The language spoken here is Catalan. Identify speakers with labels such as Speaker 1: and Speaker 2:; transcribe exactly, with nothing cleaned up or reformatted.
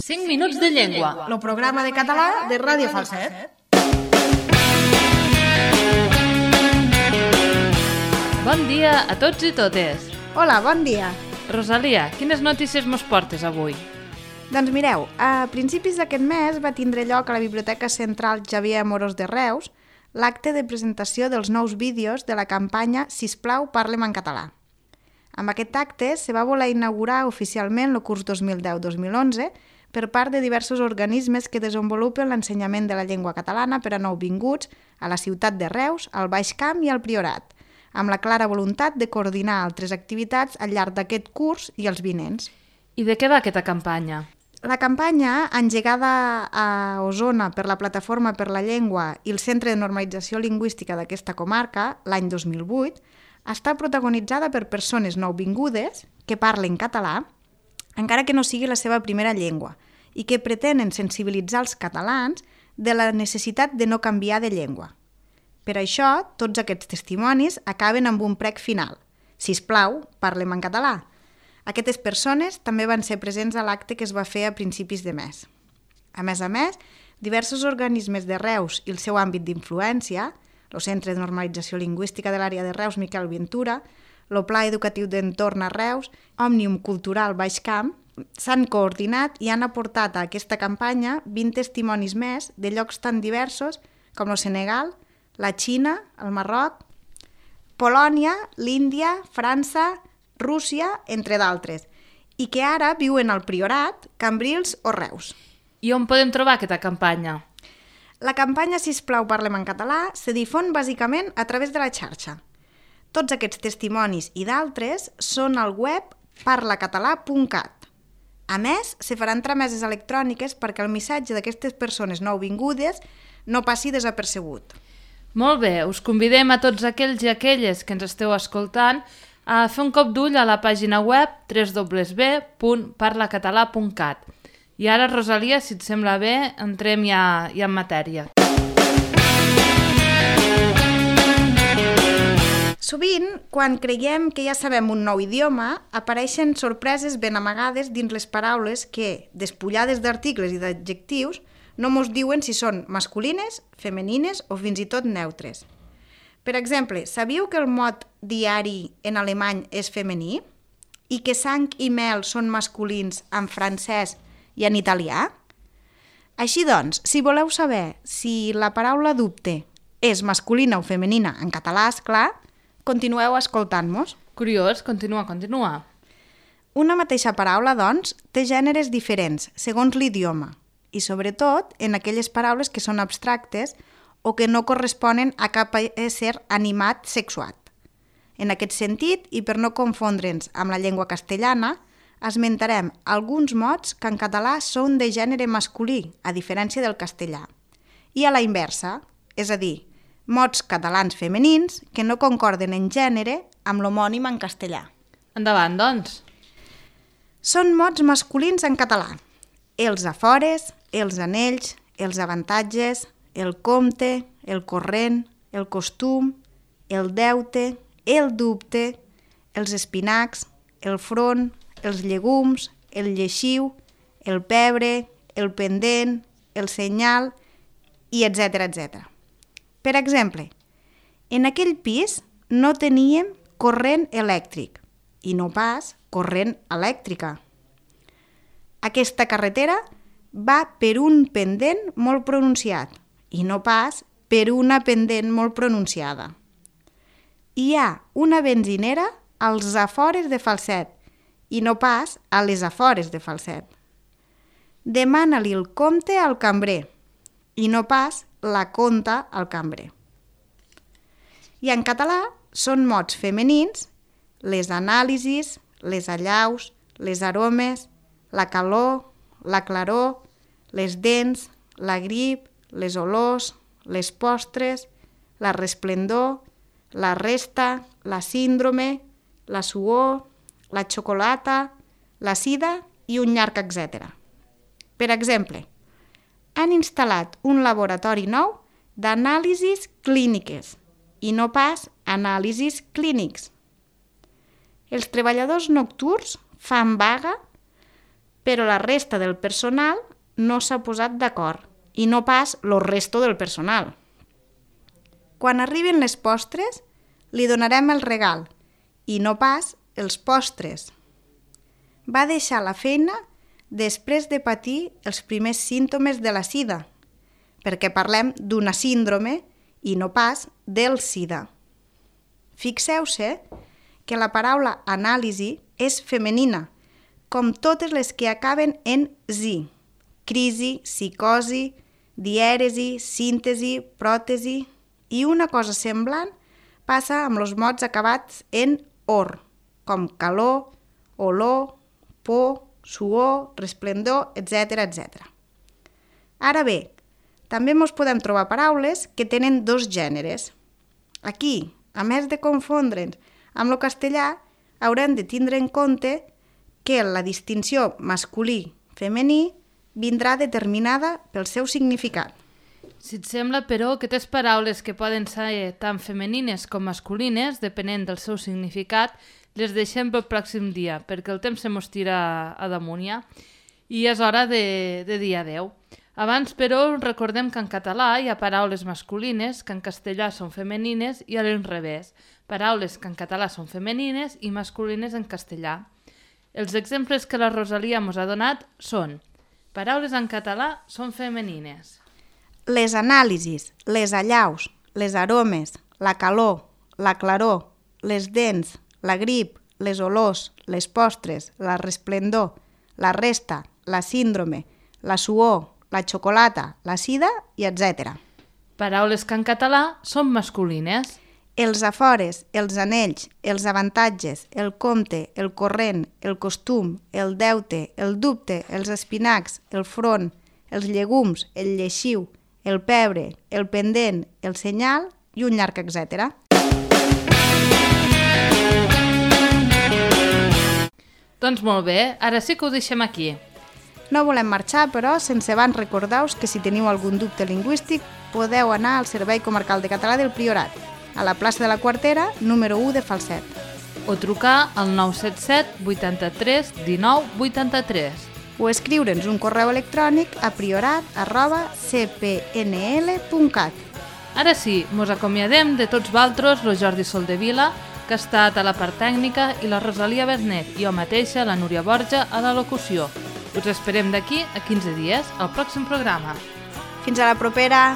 Speaker 1: cinc minuts de llengua.
Speaker 2: El programa de català de Ràdio Falset.
Speaker 1: Bon dia a tots i totes.
Speaker 2: Hola, bon dia.
Speaker 1: Rosalia, quines notícies mos portes avui?
Speaker 2: Doncs mireu, a principis d'aquest mes va tindre lloc a la Biblioteca Central Xavier Amorós de Reus l'acte de presentació dels nous vídeos de la campanya Sisplau, parlem en català. Amb aquest acte se va voler inaugurar oficialment el curs dos mil deu dos mil onze per part de diversos organismes que desenvolupen l'ensenyament de la llengua catalana per a nouvinguts a la ciutat de Reus, al Baix Camp i al Priorat, amb la clara voluntat de coordinar altres activitats al llarg d'aquest curs i els vinents.
Speaker 1: I de què va aquesta campanya?
Speaker 2: La campanya, engegada a Osona per la Plataforma per la Llengua i el Centre de Normalització Lingüística d'aquesta comarca, l'any dos mil vuit, està protagonitzada per persones nouvingudes que parlen català, encara que no sigui la seva primera llengua, i que pretenen sensibilitzar els catalans de la necessitat de no canviar de llengua. Per això, tots aquests testimonis acaben amb un prec final. Sisplau, parlem en català. Aquestes persones també van ser presents a l'acte que es va fer a principis de mes. A més a més, diversos organismes de Reus i el seu àmbit d'influència, el Centre de Normalització Lingüística de l'àrea de Reus Miquel Ventura, el Pla Educatiu d'Entorn a Reus, Òmnium Cultural Baix Camp, s'han coordinat i han aportat a aquesta campanya vint testimonis més de llocs tan diversos com el Senegal, la Xina, el Marroc, Polònia, l'Índia, França, Rússia, entre d'altres, i que ara viuen al Priorat, Cambrils o Reus.
Speaker 1: I on podem trobar aquesta campanya?
Speaker 2: La campanya Sisplau, parlem en català se difon bàsicament a través de la xarxa. Tots aquests testimonis i d'altres són al web parlacatalà punt cat. A més, se faran trameses electròniques perquè el missatge d'aquestes persones nouvingudes no passi desapercebut.
Speaker 1: Molt bé, us convidem a tots aquells i aquelles que ens esteu escoltant a fer un cop d'ull a la pàgina web w w w punt parlacatalà punt cat. I ara, Rosalia, si et sembla bé, entrem ja, ja en matèria.
Speaker 2: Sovint, quan creiem que ja sabem un nou idioma, apareixen sorpreses ben amagades dins les paraules que, despullades d'articles i d'adjectius, no mos diuen si són masculines, femenines o fins i tot neutres. Per exemple, sabíeu que el mot diari en alemany és femení? I que sang i mel són masculins en francès i en italià? Així doncs, si voleu saber si la paraula dubte és masculina o femenina en català, esclar, continueu escoltant-nos.
Speaker 1: Curiós, continua, continua.
Speaker 2: Una mateixa paraula, doncs, té gèneres diferents segons l'idioma i, sobretot, en aquelles paraules que són abstractes o que no corresponen a cap ésser animat sexuat. En aquest sentit, i per no confondre'ns amb la llengua castellana, esmentarem alguns mots que en català són de gènere masculí, a diferència del castellà, i a la inversa, és a dir, mots catalans femenins que no concorden en gènere amb l'homònim en castellà.
Speaker 1: Endavant, doncs.
Speaker 2: Són mots masculins en català. Els afores, els anells, els avantatges, el compte, el corrent, el costum, el deute, el dubte, els espinacs, el front, els llegums, el lleixiu, el pebre, el pendent, el senyal, i etcètera etcètera. Per exemple, en aquell pis no teníem corrent elèctric i no pas corrent elèctrica. Aquesta carretera va per un pendent molt pronunciat i no pas per una pendent molt pronunciada. Hi ha una benzinera als afores de Falset i no pas a les afores de Falset. Demana-li el compte al cambrer i no pas la conta al cambrer. I en català són mots femenins les anàlisis, les allaus, les aromes, la calor, la claror, les dents, la grip, les olors, les postres, la resplendor, la resta, la síndrome, la suor, la xocolata, la sida i un llarg etcètera. Per exemple, han instal·lat un laboratori nou d'anàlisis clíniques i no pas anàlisis clínics. Els treballadors nocturns fan vaga però la resta del personal no s'ha posat d'acord, i no pas lo resto del personal. Quan arriben les postres, li donarem el regal, i no pas els postres. Va deixar la feina després de patir els primers símptomes de la sida, perquè parlem d'una síndrome i no pas del sida. Fixeu-se que la paraula anàlisi és femenina, com totes les que acaben en zi: crisi, psicosi, dièresi, síntesi, pròtesi, i una cosa semblant passa amb els mots acabats en or, com calor, olor, por, suor, resplendor, etcètera, etcètera. Ara bé, també mos podem trobar paraules que tenen dos gèneres. Aquí, a més de confondre'ns amb el castellà, haurem de tindre en compte que la distinció masculí-femení vindrà determinada pel seu significat.
Speaker 1: Si et sembla, però, aquestes paraules que poden ser tant femenines com masculines, depenent del seu significat, les deixem pel pròxim dia, perquè el temps se mos tira a damunt ja, i és hora de, de dir adeu. Abans, però, recordem que en català hi ha paraules masculines que en castellà són femenines i a l'inrevés, paraules que en català són femenines i masculines en castellà. Els exemples que la Rosalia mos ha donat són: paraules en català són femenines.
Speaker 2: Les anàlisis, les allaus, les aromes, la calor, la claror, les dents, la grip, les olors, les postres, la resplendor, la resta, la síndrome, la suor, la xocolata, la sida i etcètera.
Speaker 1: Paraules que en català són masculines.
Speaker 2: Els afores, els anells, els avantatges, el compte, el corrent, el costum, el deute, el dubte, els espinacs, el front, els llegums, el lleixiu, el pebre, el pendent, el senyal i un llarg etcètera.
Speaker 1: Doncs molt bé, ara sí que ho deixem aquí.
Speaker 2: No volem marxar, però, sense abans recordar-vos que si teniu algun dubte lingüístic podeu anar al Servei Comarcal de Català del Priorat, a la plaça de la Quartera, número u de Falset.
Speaker 1: O trucar al nou set set vuitanta-tres dinou vuitanta-tres.
Speaker 2: O escriure'ns un correu electrònic a priorat arroba c p n l punt cat.
Speaker 1: Ara sí, mos acomiadem de tots valtros, lo Jordi Soldevila, que ha estat a la part tècnica, i la Rosalia Bernet, i jo mateixa, la Núria Borja, a la locució. Us esperem d'aquí a quinze dies, al pròxim programa.
Speaker 2: Fins a la propera!